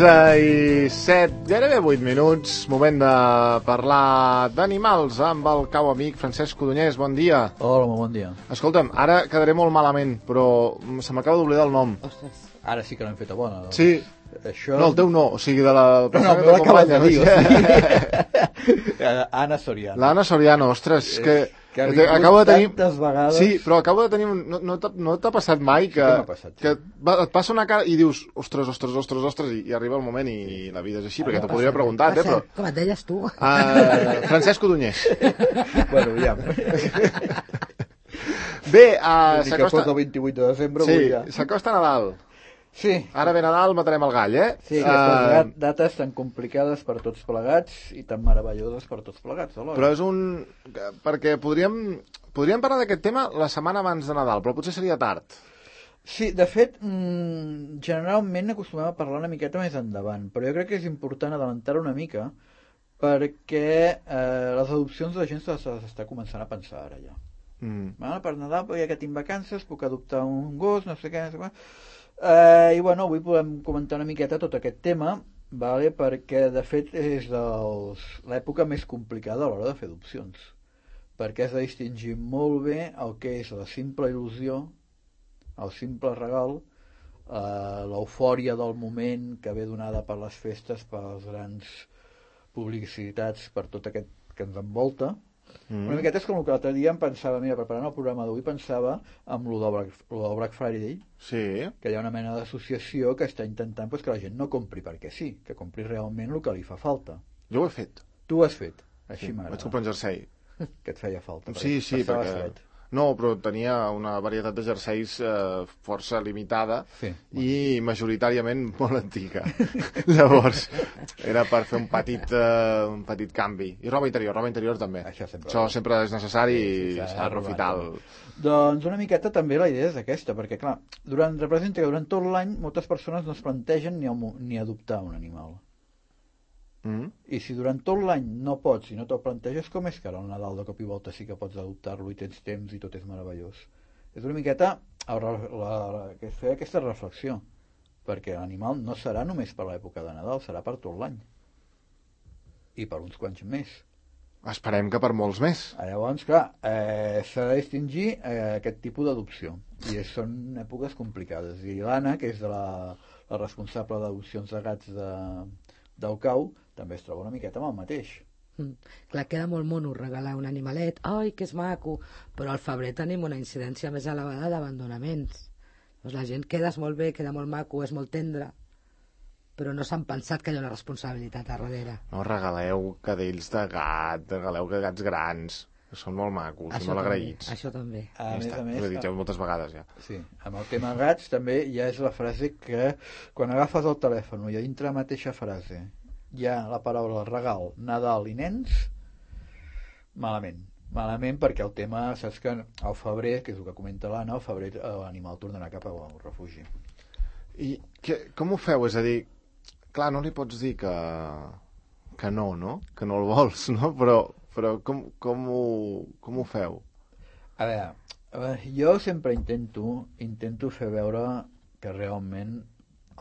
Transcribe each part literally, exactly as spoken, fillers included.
onze i set, gairebé vuit minuts, moment de parlar d'animals amb el cau amic Francesc Codonyès, bon dia. Hola, bon dia. Escolta'm, ara quedaré molt malament, però se m'acaba d'oblidar el nom. Ostres, ara sí que l'hem fet a bona. Doncs. Sí, això... no, el teu no, o sigui, de la... No, no, me l'acabes de dir, o sigui... Anna Soriano. L'Anna Soriano, ostres, que... Que ha vingut acabo de tenir... tantes vegades... Sí, però acabo de tenir... Un... No, no t'ha no passat mai que, sí que, passat, sí. que va, et passa una cara i dius ostres, ostres, ostres, ostres, i, i arriba el moment i la vida és així, perquè t'ho podria preguntar, eh, però... Com et deies tu? Uh, Francesc Codonyès. Bueno, ja. Bé, uh, s'acosta... el vint-i-vuit de desembre... Sí, ja. s'acosta Nadal. Sí. Ara ve Nadal, matarem el gall, eh? Sí, aquestes uh... dates tan complicades per tots plegats i tan meravelloses per tots plegats, alhora. Però és un... Perquè podríem, podríem parlar d'aquest tema la setmana abans de Nadal, però potser seria tard. Sí, de fet, mmm, generalment acostumem a parlar una miqueta més endavant, però jo crec que és important adelantar una mica perquè eh, les adopcions de la gent se les està començant a pensar ara ja. Mm. Bueno, per Nadal, ja que tinc vacances, puc adoptar un gos, no sé què, no sé què. Uh, i bueno, avui podem comentar una miqueta tot aquest tema, vale? Perquè de fet és dels... l'època més complicada a l'hora de fer adopcions, perquè has de distingir molt bé el que és la simple il·lusió, el simple regal, uh, l'eufòria del moment que ve donada per les festes, per les grans publicitats, per tot aquest que ens envolta. Mm. Una miqueta és com el que l'altre dia em pensava, mira, preparant el programa d'avui pensava amb lo del Black, lo del Black Friday, sí. Que hi ha una mena d'associació que està intentant pues, que la gent no compri perquè sí, que compri realment el que li fa falta. Jo ho he fet. Tu ho has fet, així sí, m'agrada. Vaig comprar un jersei. Que et feia falta. Sí, sí, perquè... Fred. No, però tenia una varietat de jerseis eh, força limitada sí, i majoritàriament molt antiga. Llavors, era per fer un petit, eh, un petit canvi. I roba interior, roba interior també. Això sempre, Això sempre és necessari sí, sí, i s'ha d'aprofitar el... Doncs una miqueta també la idea és aquesta, perquè clar, durant, representa que durant tot l'any moltes persones no es plantegen ni, ni adoptar un animal. Mm. I si durant tot l'any no pots i no te'l planteges, com és que ara al Nadal de cop i volta sí que pots adoptar-lo i tens temps i tot és meravellós? És una miqueta la, la, la, que fer aquesta reflexió, perquè l'animal no serà només per l'època de Nadal, serà per tot l'any i per uns quants més. Esperem que per molts més. Llavors, clar, eh, s'ha de distingir eh, aquest tipus d'adopció i és, són èpoques complicades i l'Anna, que és de la, la responsable d'adopcions de gats de, del cau, també es troba una miqueta amb el mateix. Mm. Clar, queda molt mono regalar un animalet, ai, que és maco, però al febrer tenim una incidència més elevada d'abandonaments. Doncs la gent quedes molt bé, queda molt maco, és molt tendre, però no s'han pensat que hi ha una responsabilitat a darrere. No, regaleu cadells de gat, regaleu gats grans, que són molt macos això i molt agraïts. Això també. A ja més està, a més, ho he dit ja moltes vegades ja. Sí, amb el tema gats també ja és la frase que quan agafes el telèfon i a dintre la mateixa frase hi ha la paraula regal, Nadal i nens, malament. Malament perquè el tema, saps que al febrer, que és el que comenta l'Anna, al febrer l'animal tornarà cap al refugi. I que, com ho feu? És a dir, clar, no li pots dir que, que no, no? Que no el vols, no? Però, però com, com, ho, com ho feu? A veure, jo sempre intento, intento fer veure que realment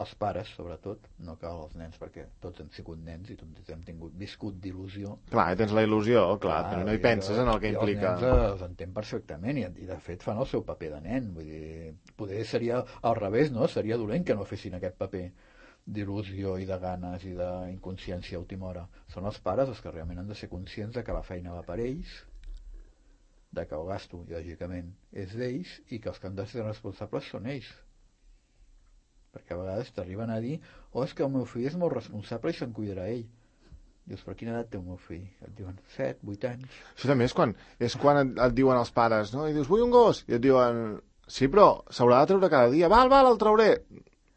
els pares, sobretot, no cal els nens, perquè tots hem sigut nens i tots hem tingut viscut d'il·lusió. Clar, tens la il·lusió, clar, clar no hi penses en el que implica. Els nens els entén perfectament i, i de fet fan el seu paper de nen. Vull dir, poder seria al revés, no? Seria dolent que no fessin aquest paper d'il·lusió i de ganes i d'inconsciència a última hora. Són els pares els que realment han de ser conscients de que la feina va per ells, de que el gasto, lògicament, és d'ells i que els que han de ser responsables són ells. Perquè a vegades t'arriben a dir oh, és que el meu fill és molt responsable i se'n cuidarà ell. Dius, per quina edat té el meu fill? Et diuen, set, vuit anys. Això també és quan, és quan et, et diuen els pares, no? I dius, vull un gos. I et diuen, sí, però s'haurà de treure cada dia. Val, val, el trauré.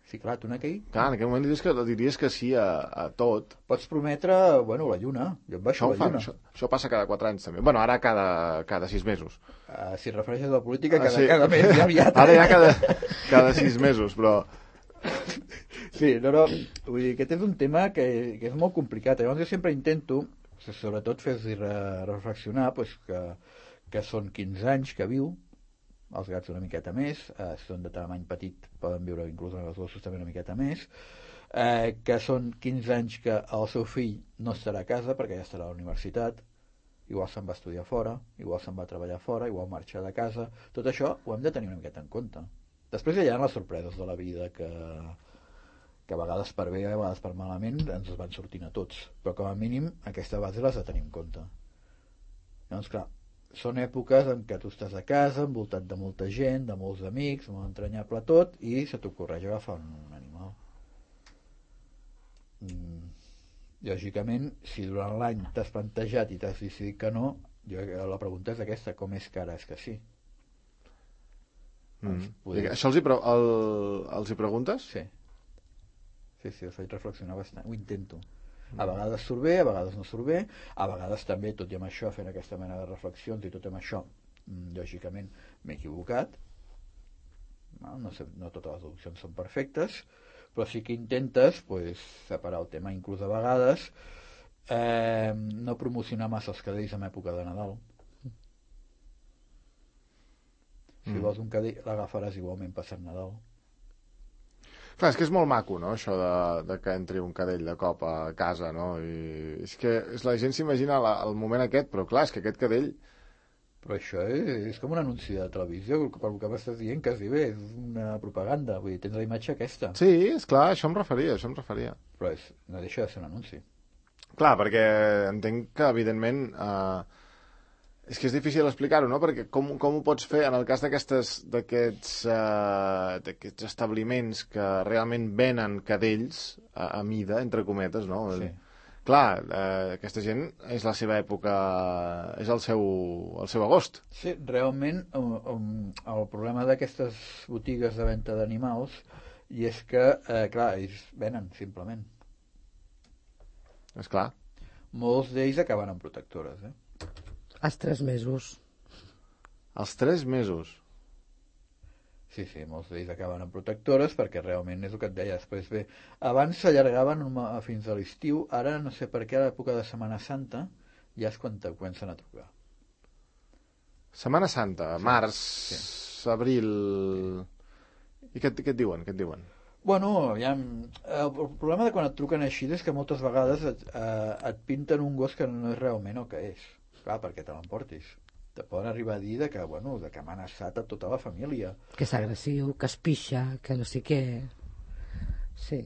Sí, clar, tu en aquell... Clar, en aquell moment diries que, diries que sí a, a tot. Pots prometre, bueno, la lluna. Jo em baixo això la fan, lluna. Això, això passa cada quatre anys també. Bueno, ara cada, cada sis mesos. Uh, si et refereixes a la política, cada, uh, sí. cada mes ja aviat. Ara ja cada, cada sis mesos, però... Sí, no, no, vull dir, aquest és un tema que, que és molt complicat. Llavors jo sempre intento, sobretot fer-los reflexionar pues, que, que són quinze anys que viu, els gats una miqueta més, eh, si són de tamany petit poden viure inclús els gossos també una miqueta més, eh, que són quinze anys que el seu fill no estarà a casa perquè ja estarà a la universitat, igual se'n va estudiar fora, igual se'n va treballar fora, igual marxa de casa. Tot això ho hem de tenir una miqueta en compte. Després hi ha les sorpreses de la vida que, que a vegades per bé, a vegades per malament ens van sortint a tots, però com a mínim aquesta base les de tenir en compte. Llavors, clar, són èpoques en què tu estàs a casa, envoltat de molta gent, de molts amics, molt entranyable tot, i se t'ocorreix agafar un, un animal. Mm. Lògicament, si durant l'any t'has plantejat i t'has decidit que no, jo, la pregunta és aquesta, com és que ara és que sí? Mm. Doncs, poder... Això els hi, pre el, els hi preguntes? Sí. Sí, sí, els faig reflexionar bastant, ho intento. A vegades surt bé, a vegades no surt bé, a vegades també, tot i amb això, fent aquesta mena de reflexions i tot i amb això, lògicament, m'he equivocat. No, no, sé, no totes les deduccions són perfectes, però sí que intentes pues, separar el tema, inclús a vegades eh, no promocionar massa els cadells en època de Nadal. Si mm. vols un cadell, l'agafaràs igualment passant Nadal. Clar, és que és molt maco, no?, això de, de que entri un cadell de cop a casa, no? I és que és, la gent s'imagina el moment aquest, però clar, és que aquest cadell... Però això és, és com un anunci de televisió, per el que m'estàs dient, quasi bé, és una propaganda, vull dir, tens la imatge aquesta. Sí, és clar, això em referia, això em referia. Però és, no deixa de ser un anunci. Clar, perquè entenc que, evidentment, eh, és que és difícil explicar-ho, no?, perquè com, com ho pots fer en el cas d'aquests eh, establiments que realment venen cadells a, a mida, entre cometes, no? Sí. Clar, eh, aquesta gent és la seva època, és el seu, el seu agost. Sí, realment um, el problema d'aquestes botigues de venda d'animals i és que, eh, clar, ells venen, simplement. És clar. Molts d'ells acaben en protectores, eh? Els tres mesos. Els tres mesos? Sí, sí, molts d'ells acaben en protectores perquè realment és el que et deia després. Bé, abans s'allargaven fins a l'estiu, ara no sé per què a l'època de Setmana Santa ja és quan te comencen a trucar. Setmana Santa, sí, març, sí. Abril... Sí. I què, què et diuen? Què et diuen? Bueno, ja, el problema de quan et truquen així és que moltes vegades et, eh, et pinten un gos que no és realment el que és. Clar, perquè te l'emportis. Te poden arribar a dir de que, bueno, de que m'ha amenaçat a tota la família. Que és agressiu, que es pixa, que no sé què... Sí.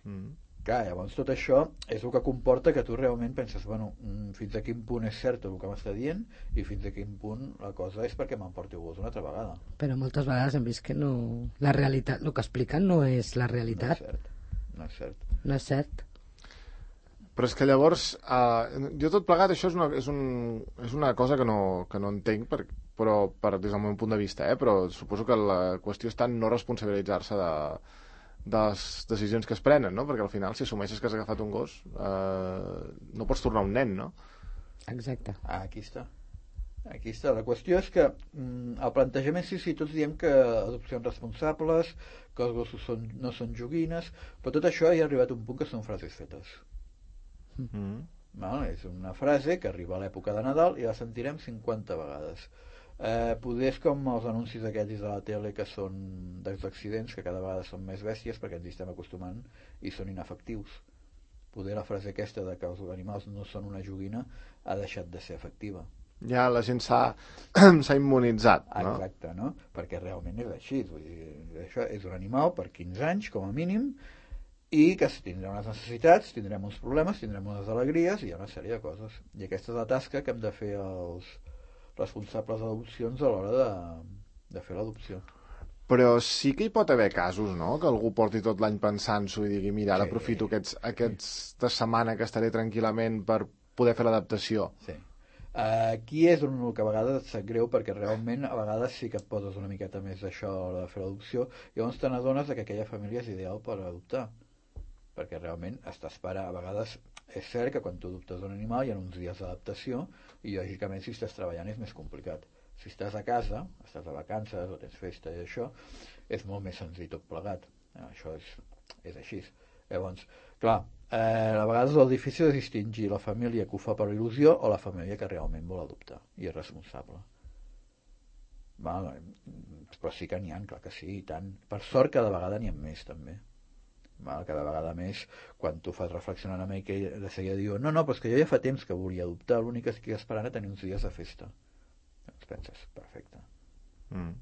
Mm. Clar, llavors tot això és el que comporta que tu realment penses, bueno, fins a quin punt és cert el que m'està dient i fins a quin punt la cosa és perquè m'emporti el gos una altra vegada. Però moltes vegades hem vist que no... La realitat, el que expliquen no és la realitat. No és cert. No és cert. No és cert. Però és que llavors, eh, jo tot plegat, això és una, és un, és una cosa que no, que no entenc, per, però per, des del meu punt de vista, eh, però suposo que la qüestió està en no responsabilitzar-se de, de les decisions que es prenen, no? Perquè al final, si assumeixes que has agafat un gos, eh, no pots tornar un nen, no? Exacte. Ah, aquí està. Aquí està. La qüestió és que mm, el plantejament, sí, sí, tots diem que adopcions responsables, que els gossos són, no són joguines, però tot això ja ha arribat a un punt que són frases fetes. Mm-hmm. Val? És una frase que arriba a l'època de Nadal i la sentirem cinquanta vegades. Eh, poder és com els anuncis aquells de la tele que són dels accidents, que cada vegada són més bèsties perquè ens hi estem acostumant i són inefectius. Poder la frase aquesta de que els animals no són una joguina ha deixat de ser efectiva. Ja la gent s'ha immunitzat, no? Exacte, no? Perquè realment és així. Vull dir, això és un animal per quinze anys, com a mínim, i que tindrem unes necessitats, tindrem uns problemes, tindrem unes alegries i hi ha una sèrie de coses. I aquesta és la tasca que hem de fer els responsables d'adopcions a l'hora de, de fer l'adopció. Però sí que hi pot haver casos, no?, que algú porti tot l'any pensant-s'ho i digui, mira, ara sí. aprofito aquests, aquesta setmana que estaré tranquil·lament per poder fer l'adaptació. Sí. Aquí és on que a vegades et sap greu perquè realment a vegades sí que et poses una miqueta més d'això a l'hora de fer l'adopció i llavors te n'adones que aquella família és ideal per adoptar. Perquè realment estàs per a vegades és cert que quan tu adoptes un animal hi ha uns dies d'adaptació i lògicament si estàs treballant és més complicat. Si estàs a casa, estàs de vacances o tens festa i això, és molt més senzill tot plegat. Això és, és així. Llavors, clar, eh, a vegades el difícil és distingir la família que ho fa per il·lusió o la família que realment vol adoptar i és responsable. Val, però sí que n'hi ha, clar que sí, i tant. Per sort cada vegada n'hi ha més també. Val? Cada vegada més, quan tu fas reflexionar una mica, de seguida diu, no, no, però és que jo ja fa temps que volia adoptar, l'únic que estic esperant a tenir uns dies de festa. Llavors penses, perfecte. Mm.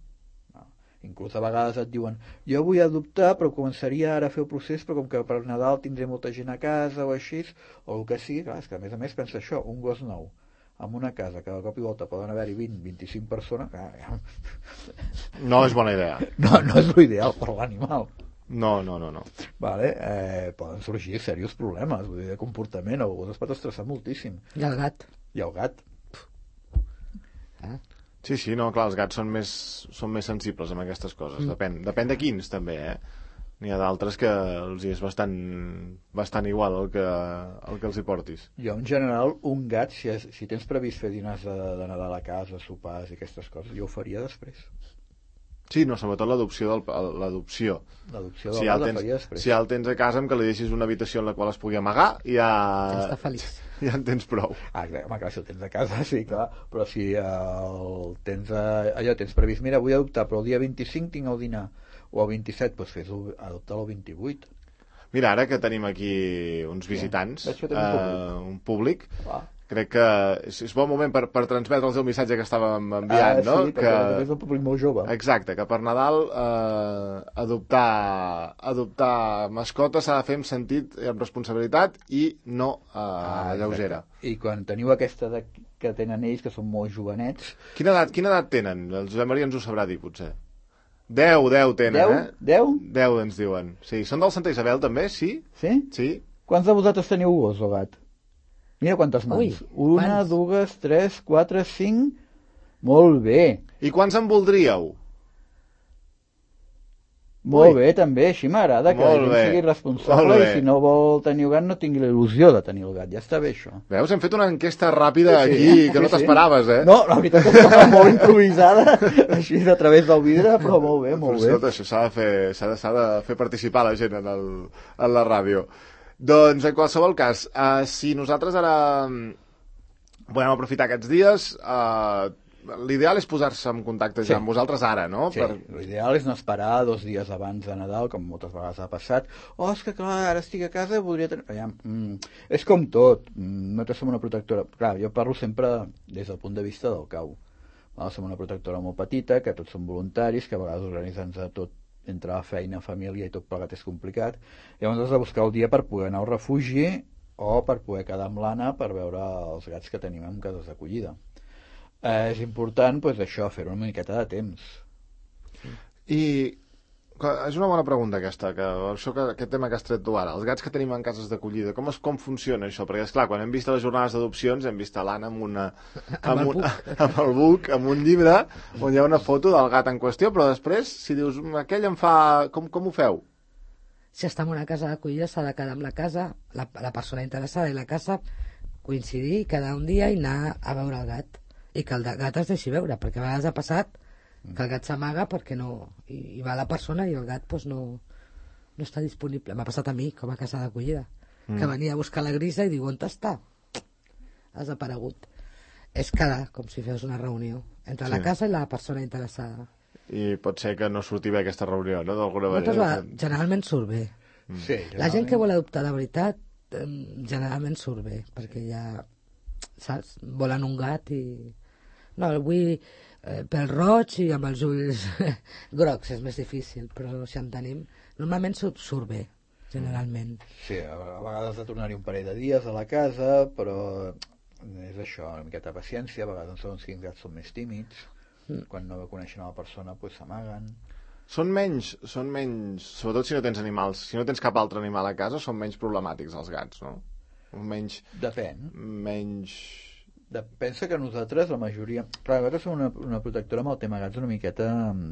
Inclús a vegades et diuen, jo vull adoptar però començaria ara a fer el procés, però com que per Nadal tindré molta gent a casa o així, o el que sigui, clar, és que a més a més pensa això, un gos nou en una casa que de cop i volta poden haver-hi vint a vint-i-cinc persones, clar, ja... no és bona idea. No, no és l'ideal per l'animal. No, no, no, no. Vale, eh, poden sorgir serios problemes, vull dir, de comportament, el gos es pot estressar moltíssim. I el gat. I el gat. Ah. Sí, sí, no, clar, els gats són més, són més sensibles amb aquestes coses. Mm. Depèn, depèn de quins, també, eh? N'hi ha d'altres que els hi és bastant, bastant igual el que, el que els hi portis. Jo, en general, un gat, si, és, si tens previst fer dinars de, de Nadal a casa, sopars i aquestes coses, jo ho faria després. Sí, no, sobretot l'adopció. Del, l'adopció. L'adopció del si ja gat la tens, faria després. Si ja el tens a casa, amb que li deixis una habitació en la qual es pugui amagar, ja... Ja està feliç. Ja en tens prou. Ah, clar, home, clar, si el tens a casa, sí, clar, però si el tens a, allò tens previst, mira, vull adoptar, però el dia vint-i-cinc tinc el dinar, o el vint-i-set, doncs fes-ho, adoptar el vint-i-vuit. Mira, ara que tenim aquí uns visitants, sí. uh, un públic, ah. crec que és, és bon moment per, per transmetre'ls el missatge que estàvem enviant, ah, no? Sí, perquè que... és un públic molt jove. Exacte, que per Nadal eh, adoptar, adoptar mascotes s'ha de fer amb sentit i amb responsabilitat i no eh, ah, lleugera. I quan teniu aquesta de, que tenen ells, que són molt jovenets... Quina edat, quina edat tenen? El Josep Maria ens ho sabrà dir, potser. Deu, deu tenen, deu? eh? Deu? Deu, ens diuen. Sí, són del Santa Isabel, també, sí? Sí? Sí. Quants de vosaltres teniu gos o gat? Mira quantes mans. Ui, Una, quants? dues, tres, quatre, cinc... Molt bé. I quants en voldríeu? Molt Ui. bé, també. Així m'agrada que Molt la gent bé. sigui responsable i si no vol tenir el gat no tingui la il·lusió de tenir el gat. Ja està bé, això. Veus, hem fet una enquesta ràpida Sí, aquí sí, que no sí. t'esperaves, eh? No, la veritat és que estava molt improvisada, així a través del vidre, però molt bé, molt Però, bé. escolta, això s'ha de, fer, s'ha, de, s'ha de fer participar la gent en, el, en la ràdio. Doncs, en qualsevol cas, uh, si nosaltres ara podem aprofitar aquests dies, uh, l'ideal és posar-se en contacte ja Sí. amb vosaltres ara, no? Sí, Per... l'ideal és no esperar dos dies abans de Nadal, com moltes vegades ha passat. Oh, és que clar, ara estic a casa, voldria tenir... Ja, mm, és com tot, mm, nosaltres som una protectora... Clar, jo parlo sempre des del punt de vista del cau. Val? Som una protectora molt petita, que tots som voluntaris, que a vegades organitzar-nos a tot entre la feina, família i tot plegat és complicat. Llavors has de buscar el dia per poder anar al refugi o per poder quedar amb l'Anna per veure els gats que tenim en cases d'acollida. Eh, és important, doncs, això, fer-ho una miqueta de temps. I és una bona pregunta aquesta, que, això que, aquest tema que has tret tu ara. Els gats que tenim en cases d'acollida, com, es, com funciona això? Perquè, esclar, quan hem vist les jornades d'adopcions hem vist a l'Anna amb, una, amb, amb, un, amb el buc, amb un llibre on hi ha una foto del gat en qüestió, però després, si dius, aquell em fa... Com, com ho feu? Si està en una casa d'acollida s'ha de quedar amb la casa, la, la persona interessada i la casa, coincidir, quedar un dia i anar a veure el gat. I que el gat es deixi veure, perquè a vegades ha passat que el gat s'amaga perquè no... I, i va la persona i el gat pues, no, no està disponible. M'ha passat a mi, com a casa d'acollida, mm. que venia a buscar la grisa i diu, on està? Has desaparegut. És quedar, com si fes una reunió entre sí. la casa i la persona interessada. I pot ser que no surti bé aquesta reunió, no? D'alguna manera. Moltes, generalment surt bé. Mm. Sí, la gent que vol adoptar de veritat, generalment surt bé, perquè ja, saps, volen un gat i... No, vull eh, pel roig i amb els ulls grocs és més difícil, però si en tenim... Normalment surt, surt bé, generalment. Sí, a vegades has de tornar-hi un parell de dies a la casa, però és això, una miqueta de paciència, a vegades segons quins gats són més tímids, mm. quan no coneixen a la persona pues, s'amaguen. Són menys, són menys, sobretot si no tens animals, si no tens cap altre animal a casa, són menys problemàtics els gats, no? Menys... Depèn. Menys... De, pensa que nosaltres, la majoria... Clar, nosaltres som una, una protectora amb el tema gats una miqueta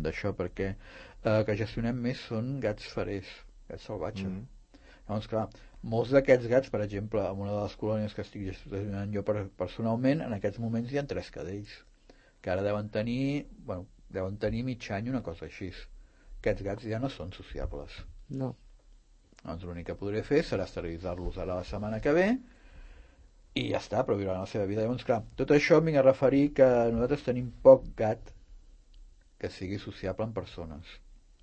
d'això, perquè eh, que gestionem més són gats ferers, gats salvatges. Mm. Llavors, clar, molts d'aquests gats, per exemple, en una de les colònies que estic gestionant jo per, personalment, en aquests moments hi ha tres cadells, que ara deuen tenir, bueno, deuen tenir mig any, una cosa així. Aquests gats ja no són sociables. No. Doncs l'únic que podré fer serà esterilitzar-los ara la setmana que ve, i ja està, però viuran la seva vida. Llavors, clar, tot això em vinc a referir que nosaltres tenim poc gat que sigui sociable en persones.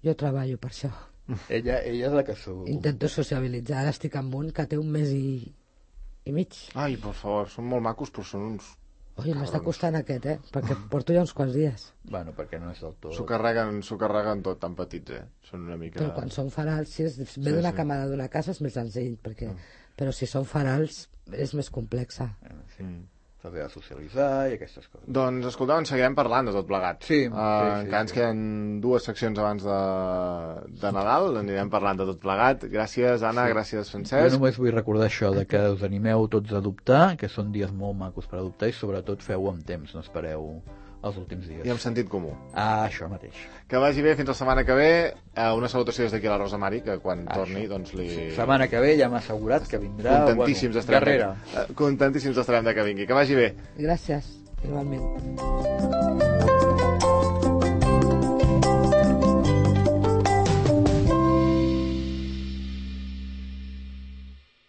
Jo treballo per això. Ella, ella és la que s'ho... Intento sociabilitzar, ara estic amb un que té un mes i, i mig. Ai, per favor, són molt macos, però són uns... Ui, m'està costant aquest, eh? Perquè porto ja uns quants dies. Bueno, perquè no és del tot... S'ho carreguen, s'ho carreguen tot, tan petits, eh? Són una mica... Però quan són farals, si és, ve sí, d'una sí. camada d'una casa és més senzill, perquè... Mm. Però si són farals és més complexa. Eh, sí. Mm. S'ha de socialitzar i aquestes coses. Doncs, escolta, en seguirem parlant de tot plegat. Sí. Uh, sí, sí encara ens sí. queden dues seccions abans de, de Nadal, anirem parlant de tot plegat. Gràcies, Anna, sí. gràcies, Francesc. Jo només vull recordar això, de que us animeu tots a adoptar, que són dies molt macos per adoptar, i sobretot feu amb temps, no espereu els últims dies. I amb sentit comú. Ah, això mateix. Que vagi bé fins la setmana que ve. Una salutació des d'aquí a la Rosa Mari, que quan ah, torni, això. doncs li... Setmana que ve ja m'ha assegurat que vindrà... Contentíssims bueno, estarem, de... Contentíssims estarem de que vingui. Que vagi bé. Gràcies, igualment.